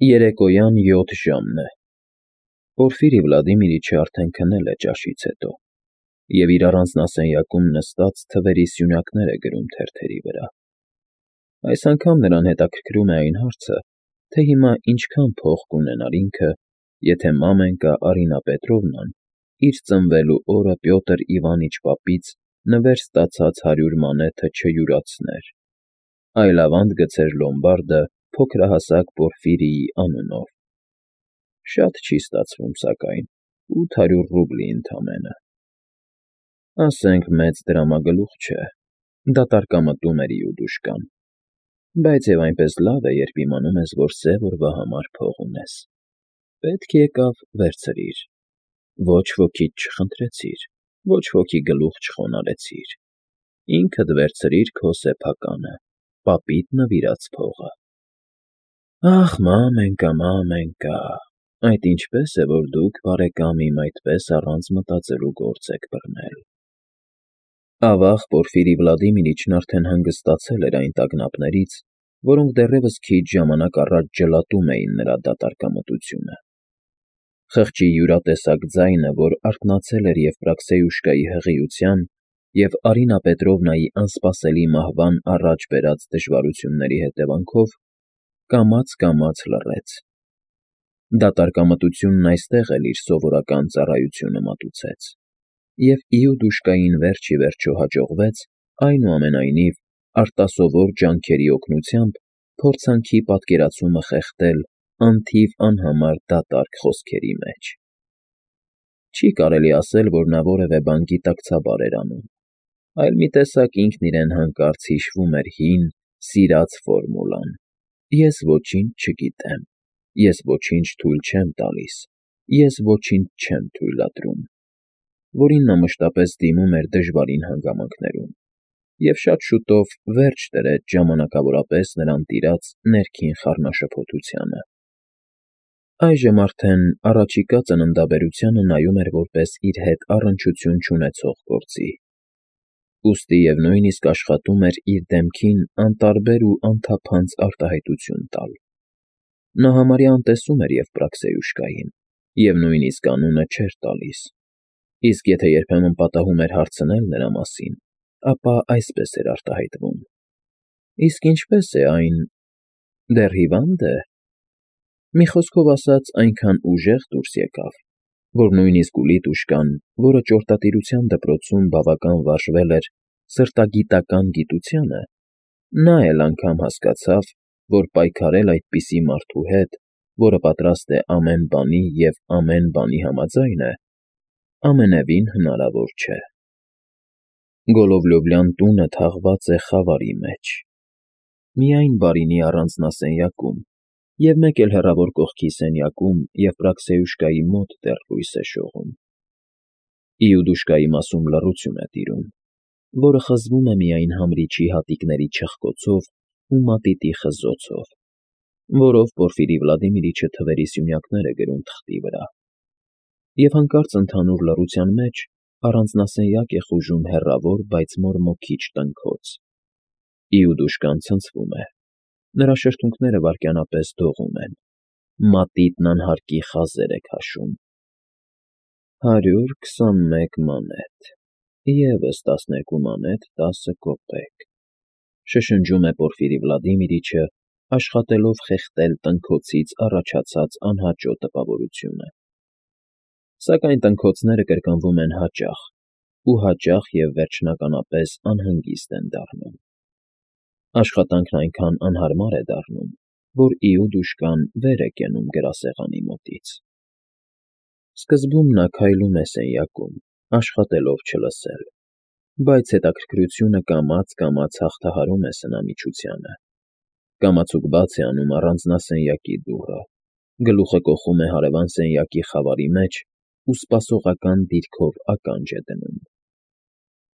Երեկոյան 7 ժամն է։ Պորֆիրի Վլադիմիրիչը արդեն քնել է ճաշից հետո և իր առանձնասենյակում նստած թվերի սյունակներ է գրում թերթերի վրա։ Այս անգամ նրան հետաքրքրում է այն հարցը, թե հիմա ինչքան փող կունենար ինքը, եթե մամենկա Արինա Պետրովնան իր ծնվելու օրը Պյոտր Իվանիչ պապից նվեր ստացած 100 մանեթը չյուրացներ, այլ ավանդ գցեր լոմբարդը փոքրահասակ Պորֆիրիի անունով։ Շատ չի ստացվում, սակայն, 800 ռուբլի ընդամենը։ Ասենք մեծ դրամագլուխ չէ, դատարկամտում էր Իուդուշկան, բայց և այնպես լավ է, երբ իմանում ես, որ սև օրվա համար փող ունես։ Պետք եկավ վերցրիր, ոչ ոքիդ չխնդրեցիր, ոչ ոքի գլուխ չխոնարհեցիր, ինքդ վերցրիր քո սեփականը, պապիդ նվիրած փողը։ Ախ, մամենկա, այդ ինչպես է, որ դուք, բարեկամ իմ, այդպես առանց մտածելու գործ եք բռնել։ Ավաղ Պորֆիրի Վլադիմիրիչն արդեն հանգստացել էր այն տագնապներից, որոնք դեռևս քիչ ժամանակ առաջ ջլատում էին նրա դատարկամտությունը։ Խղճի յուրատեսակ ձայնը, որ արթնացել էր Եվպրաքսեյուշկայի հղիության և Արինա Պետրովնայի անսպասելի մահվան առաջ բերած դժվարությունների հետևանքով, կամաց լռեց։ Դատարկամտությունն այստեղ էլ իր սովորական ծառայությունը մատուցեց, և Իուդուշկային վերջ ի վերջո հաջողվեց, այնուամենայնիվ, արտասովոր ջանքերի օգնությամբ փորձանքի պատկերացումը խեղդել անթիվ անհամար դատարկ խոսքերի մեջ։ Չի կարելի ասել, որ նա որևէ բան գիտակցաբար էր անում, այլ մի տեսակ ինքն իրեն հանկարծ հիշվում էր հին, սիրած ֆորմուլան. «Ես ոչինչ չգիտեմ, ես ոչինչ թույլ չեմ տալիս, ես ոչինչ չեմ թույլատրում», որին նա մշտապես դիմում էր դժվարին հանգամանքներում, և շատ շուտով վերջ դրեց ժամանակավորապես նրան տիրած ներքին խառնաշփոթությանը։ Այժմ արդեն առաջիկա ծննդաբերությանը նայում էր որպես իր հետ առնչություն չունեցող գործի, ուստի և նույնիսկ աշխատում էր իր դեմքին անտարբեր ու անթափանց արտահայտություն տալ։ Նա համարյա անտեսում էր Եվպրաքսեյուշկային և նույնիսկ անունը չէր տալիս, իսկ եթե երբեմն պատահում էր հարցնել նրա մասին, ապա այսպես էր արտահայտվում. «Իսկ ինչպե՞ս է այն, դեռ հիվա՞նդ է»։ Մի խոսքով ասած, այնքան ուժեղ դուրս եկավ, որ նույնիսկ Ուլիտուշկան, որը ճորտատիրության դպրոցում բավական վարժվել էր սրտագիտական գիտությանը, նա էլ անգամ հասկացավ, որ պայքարել այդպիսի մարդու հետ, որը պատրաստ է ամեն բանի և ամեն բանի համաձայն է, ամենևին հնարավոր չէ։ Գոլովլյովյան տունը թաղված է խավարի մեջ, միայն բարինի առանձնասենյակում և մեկ էլ հեռավոր կողքի սենյակում Եվպրաքսեյուշկայի մոտ դեռ լույս է շողում։ Իուդուշկայի մասում լռություն է տիրում, որը խզվում է միայն համրիչի հատիկների չխկոցով ու մատիտի խզոցով, որով Պորֆիրի Վլադիմիրիչը թվերի սյունակներ է գրում թղթի վրա, և հանկարծ ընդհանուր լռության մեջ առանձնասենյակ է խուժում հեռավոր, բայց մորմոքիչ տնքոց։ Իուդուշկան ցնցվում է, նրա շրթունքները վայրկենապես դողում են, մատիտն անհարկի խազեր է քաշում։ 121 մանեթ, ևս 12 մանեթ 10 կոպեկ, շշնջում է Պորֆիրի Վլադիմիրիչը, աշխատելով խեղդել տնքոցից առաջացած անհաճո տպավորությունը։ Սակայն տնքոցները կրկնվում են հաճախ, ու հաճախ և վերջնականապես անհանգիստ են դառնում։ Աշխատանքն այնքան անհարմար է դառնում, որ Իուդուշկան վեր է կենում գրասեղանի մոտից։ Սկզբում նա քայլում է սենյակում, աշխատելով չլսել, բայց հետաքրքրությունը կամաց հաղթահարում է սնամիջությանը։ Կամացուկ բաց է անում առանձնասենյակի դուռը, գլուխը կոխում է հարևան սենյակի խավարի մեջ ու սպասողական դիրքով ականջ է դնում։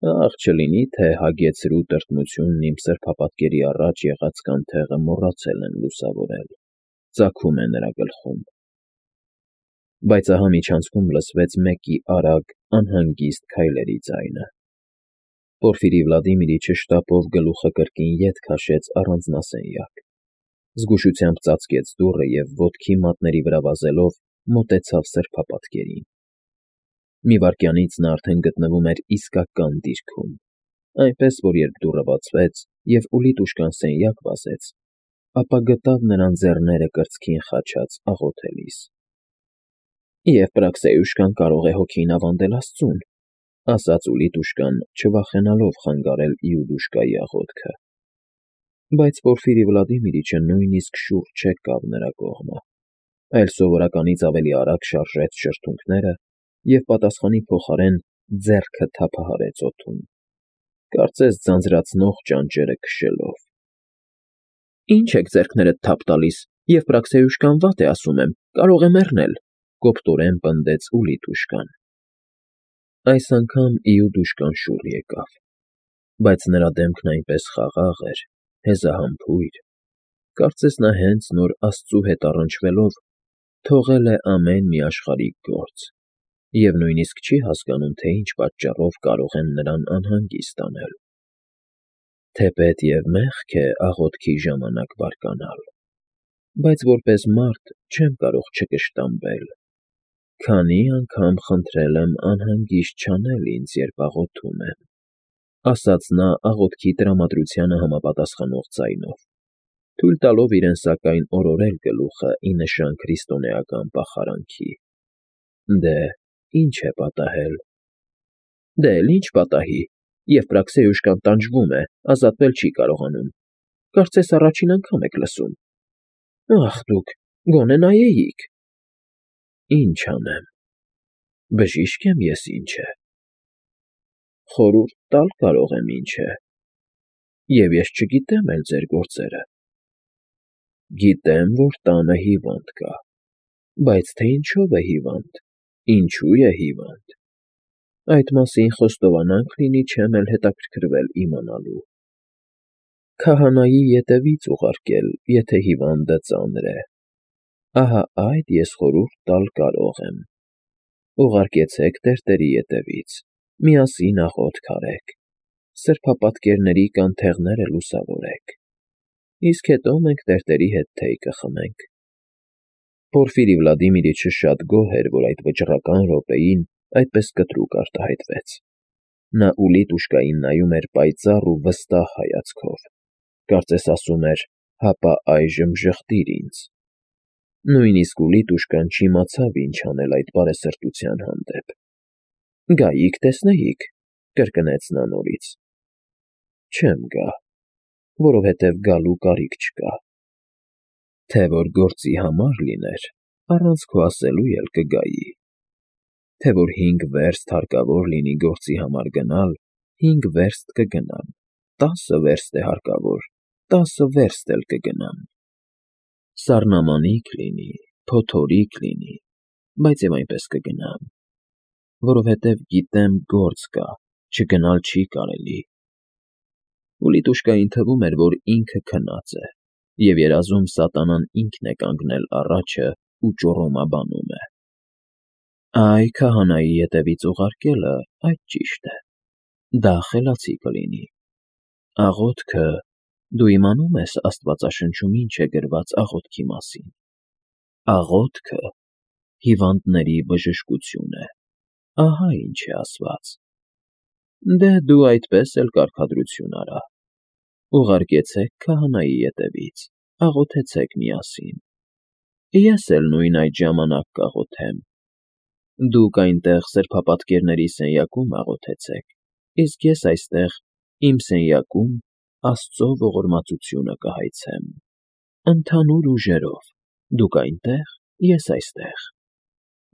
Ախ, չլինի թե հագեցրու տրտմությունն իմ սրբապատկերի առաջ եղած կանթեղը մոռացել են լուսավորել, ծագում է նրա գլխում։ Բայց ահա միջանցքում լսվեց մեկի արագ, անհանգիստ քայլերի ձայնը։ Պորֆիրի Վլադիմիրիչը շտապով գլուխը կրկին ետ քաշեց առանձնասենյակ, Զգուշությամբ ծածկեց դուռը և ոտքի մատների վրա վազելով մոտեցավ սրբապատկերին։ Մի վայրկյանից նա արդեն գտնվում էր իսկական դիրքում, այնպես որ երբ դուռը բացվեց և Ուլիտուշկան սենյակ վազեց, ապա գտավ նրան ձեռները կրծքին խաչած աղոթելիս։ «Եվ Պրաքսեյուշկան կարող է հոգին ավանդել աստծուն», ասաց Ուլիտուշկան, չվախենալով խանգարել Իուդուշկայի աղոթքը։ Բայց Պորֆիրի Վլադիմիրիչը նույնիսկ շուրջ չեկավ նրա կողմը, այլ սովորականից ավելի արագ շարժեց շրթունքները և պատասխանի փոխարեն ձեռքը թափահարեց օդում, կարծես ձանձրացնող ճանճերը քշելով։ «Ինչ եք ձեռքներդ թափ տալիս, և Պրաքսեյուշկան վատ է, ասում եմ, կարող է մեռնել», կոպտորեն պնդեց Ուլիտուշկան։ Այս անգամ Իուդուշկան շուռ եկավ, բայց նրա դեմքն այնպես խաղաղ էր, հեզահամբույր, կարծես նա հենց նոր աստծու հետ առնչվելով թողել է ամեն մի աշխարհիկ գործ և նույնիսկ չի հասկանում, թե ինչ պատճառով կարող են նրան անհանգիստ անել։ Թեպետ և մեղք է աղոթքի ժամանակ բարկանալ, բայց որպես մարդ չեմ կարող չկշտամբել, քանի անգամ խնդրել եմ անհանգիստ չանել ինձ, երբ աղոթում եմ, ասաց նա աղոթքի տրամադրությանը համապատասխանող ձայնով, թույլ տալով իրեն սակայն օրորել գլուխը ի նշան քրիստոնեական պախարանքի։ Դե, ի՞նչ է պատահել։ Դե էլ ինչ պատահի, և Պրաքսեյուշկան տանջվում է, ազատվել չի կարողանում, կարծես առաջին անգամ եք լսում։ Ախ դուք, գոնե նայեիք։ Ինչ անեմ, բժիշկ եմ ես ինչ է։ Խորհուրդ տալ կարող եմ ինչ է, և ես չգիտեմ էլ ձեր գործերը։ Գիտեմ, որ տանը հիվանդ կա, բայց թե ինչով է հիվանդ, ինչու է հիվանդ, այդ մասին խոստովանանք լինի չեմ էլ հետաքրքրվել իմանալու։ Քահանայի ետևից ուղարկել, եթե հիվանդը ծանր է։ Ահա այդ ես խորհուրդ տալ կարող եմ։ Ուղարկեցեք տերտերի ետևից, միասին աղոթք արեք, սրբապատկերների կանթեղները լուսավորեք, իսկ հետո մենք տերտերի հետ թեյ կխմենք։ Պորֆիրի Վլադիմիրիչը շատ գոհ էր, որ այդ վճռական րոպեին այդպես կտրուկ արտահայտվեց։ Նա Ուլիտուշկային նայում էր պայծառ ու վստահ հայացքով, կարծես ասում էր. «Հապա այժմ ժխտիր ինձ»։ Նույնիսկ Ուլիտուշկան չիմացավ ինչ անել այդ բարեսրտության հանդեպ։ «Գայիք տեսնեիք», կրկնեց նա նորից։ Չեմ գա, որովհետև գալու կարիք չկա։ Թե որ գործի համար լիներ, առանց քո ասելու էլ կգայի։ Թե որ 5 վերստ հարկավոր լինի գործի համար գնալ, 5 վերստ կգնամ, 10 վերստ է հարկավոր, 10 վերստ էլ կգնամ։ Սառնամանիք լինի, փոթորիկ լինի, բայց և այնպես կգնամ, որովհետև գիտեմ գործ կա, չգնալ չի կարելի։ Ուլիտուշկային թվում էր, որ ինքը քնած է, և երազում սատանան ինքն է կանգնել առաջը ու ճոռոմաբանում է։ Այ քահանայի ետևից ուղարկելը, այդ ճիշտ է, դա խելացի կլինի։ Աղոթքը, դու իմանում ես Աստվածաշնչում ինչ է գրված աղոթքի մասին։ Աղոթքը հիվանդների բժշկություն է, ահա ինչ է ասված։ Դե դու այդպես էլ կարգադրություն արա։ Ուղարկեցեք քահանայի ետևից, աղոթեցեք միասին։ Ես էլ նույն այդ ժամանակ կաղոթեմ։ Դուք այնտեղ սրբապատկերների սենյակում աղոթեցեք, իսկ ես այստեղ, իմ սենյակում, Աստծո ողորմածությունը կհայցեմ։ Ընդհանուր ուժերով, դուք այնտեղ, ես այստեղ։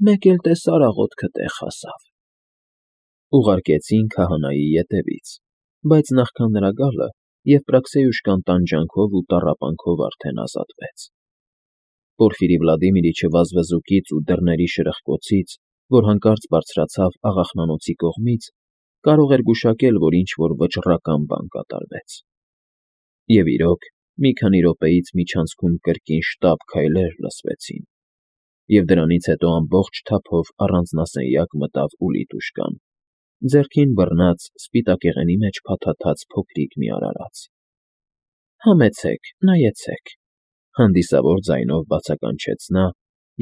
Մեկ էլ տեսար աղոթքը տեղ հասավ։ Ուղարկեցին քահանայի ետևից, բայց նախքան նրա գալը, և Պրաքսեյուշկան տանջանքով ու տառապանքով արդեն ազատվեց։ Պորֆիրի Վլադիմիրիչը վազվզուկից ու դռների շրխկոցից, որ հանկարծ բարձրացավ աղախնանոցի կողմից, կարող էր գուշակել, որ ինչ-որ վճռական բան կատարվեց։ Եվ իրոք, մի քանի րոպեից միջանցքում կրկին շտապ քայլեր լսվեցին, և դրանից հետո ամբողջ թափով առանձնասենյակ մտավ Ուլիտուշկան, ձեռքին բռնած սպիտակեղենի մեջ փաթաթած փոքրիկ մի արարած։ Համեցեք, նայեցեք, Հանդիսավոր ձայնով բացականչեց նա,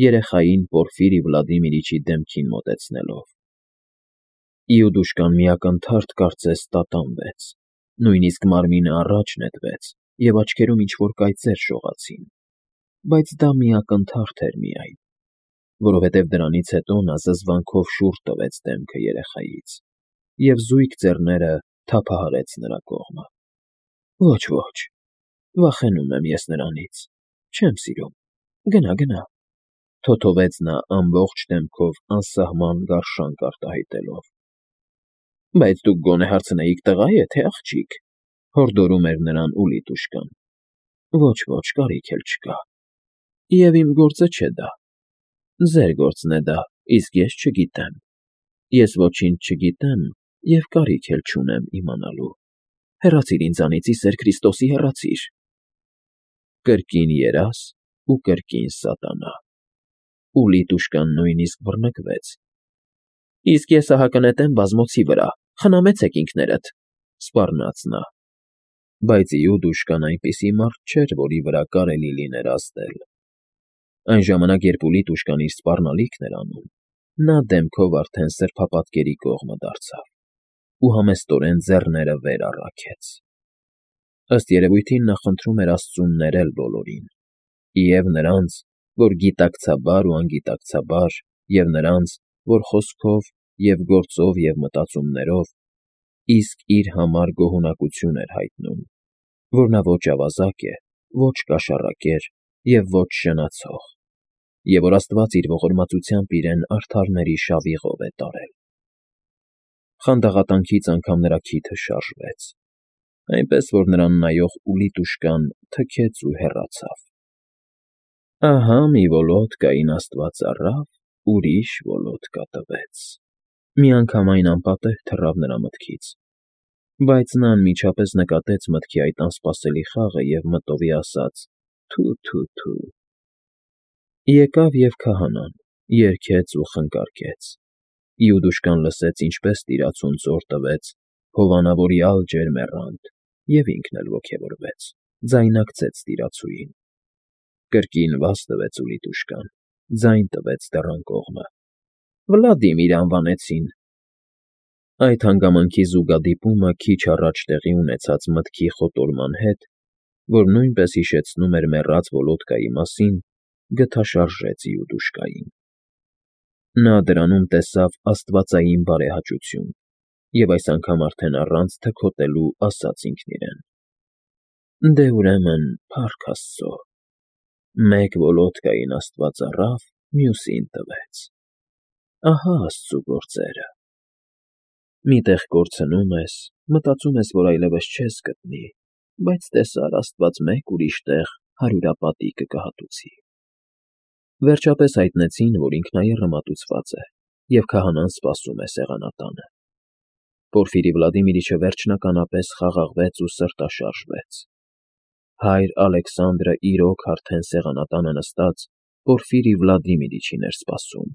երեխային Պորֆիրի Վլադիմիրիչի դեմքին մոտեցնելով։ Իուդուշկան մի ակնթարթ կարծես տատանվեց, նույնիսկ մարմինը առաջ նետվեց, և աչքերում ինչ-որ կայծեր շողացին, բայց դա մի ակնթարթ էր միայն, որովհետև դրանից հետո նա զզվանքով շուռ տվեց դեմքը երեխայից և զույգ ձեռները թափահարեց նրա կողմը։ Ոչ, ոչ, վախենում եմ ես նրանից, չեմ սիրում, գնա, թոթովեց նա ամբողջ դեմքով անսահման գարշանք արտահայտելով։ Բայց դուք գոնե հարցնեիք տղա՞ է, թե աղջիկ, հորդորում էր նրան Ուլիտուշկան։ Ոչ, կարիք էլ չկա։ Եվ իմ գործը չէ դա։ Ձեր գործն է դա, իսկ ես չգիտեմ։ Ես ոչինչ չգիտեմ և կարիք էլ չունեմ իմանալու։ Հեռացիր ինձանից, ի սեր Քրիստոսի, հեռացիր։ Կրկին երազ ու կրկին սատանա։ Ուլիտուշկան նույնիսկ բռնկվեց։ Իսկ ես ահա կնետեմ բազմոցի վրա, խնամեցեք ինքներդ, սպառնաց նա։ Բայց Իուդուշկան այնպիսի մարդ չէր, որի վրա կարելի լիներ ազդել։ Այն ժամանակ, երբ Ուլիտուշկան իր սպառնալիքն էր անում, նա դեմքով արդեն սրբապատկերի կողմը դարձավ ու համեստորեն ձեռները վեր առաքեց։ Ըստ երևույթին նա խնդրում էր Աստծուն ներել բոլորին, և նրանց, որ գիտակցաբար ու անգիտակցաբար, և նրանց, որ խոսքով և գործով և մտածումներով, իսկ իր համար գոհունակություն էր հայտնում, որ նա ոչ ավազակ է, ոչ կաշառակեր և ոչ շնացող, և որ Աստված իր ողորմածությամբ իրեն արդարների շավիղով է տարել։ Խանդաղատանքից անգամ նրա քիթը շարժվեց, այնպես որ նրան նայող Ուլիտուշկան թքեց ու հեռացավ։ Ահա մի վոլոդկային Աստված առավ, ուրիշ վոլոդկա տվեց։ Միանգամայն անպատեհ թռավ նրա մտքից, բայց նա անմիջապես նկատեց մտքի այդ անսպասելի խաղը և մտովի ասաց. «Թու»։ Եկավ և քահանան, երգեց ու խնկարկեց։ Իուդուշկան լսեց, ինչպես տիրացուն ծոր տվեց հովանավորյալ ջերմեռանդ, և ինքն էլ ոգևորվեց, ձայնարկեց տիրացուին։ Կրկին վազ տվեց Ուլիտուշկան, ձայն տվեց դռան կողմը. Վլադիմիր անվանեցին։ Այդ հանգամանքի զուգադիպումը քիչ առաջ տեղի ունեցած մտքի խոտորման հետ, որ նույնպես հիշեցնում էր մեռած Վոլոդկայի մասին, գթաշարժեց Իուդուշկային։ Նա դրանում տեսավ աստվածային բարեհաճություն և այս անգամ արդեն առանց թքոտելու ասաց ինքն իրեն. «Դե ուրեմն, փառք Աստծո, մեկ Վոլոդկային Աստված առավ, մյուսին տվեց։ Ահա Աստծու գործերը։ Մի տեղ կորցնում ես, մտածում ես, որ այլևս չես գտնի, բայց տեսար, Աստված մեկ ուրիշ տեղ հարյուրապատիկը կհատուցի»։ Վերջապես հայտնեցին, որ ինքնաեռը մատուցված է, և քահանան սպասում է սեղանատանը։ Պորֆիրի Վլադիմիրիչը վերջնականապես խաղաղվեց ու սրտաշարժվեց։ Հայր Ալեքսանդրը իրոք արդեն սեղանատանը նստած Պորֆիրի Վլադիմիրիչին էր սպասում։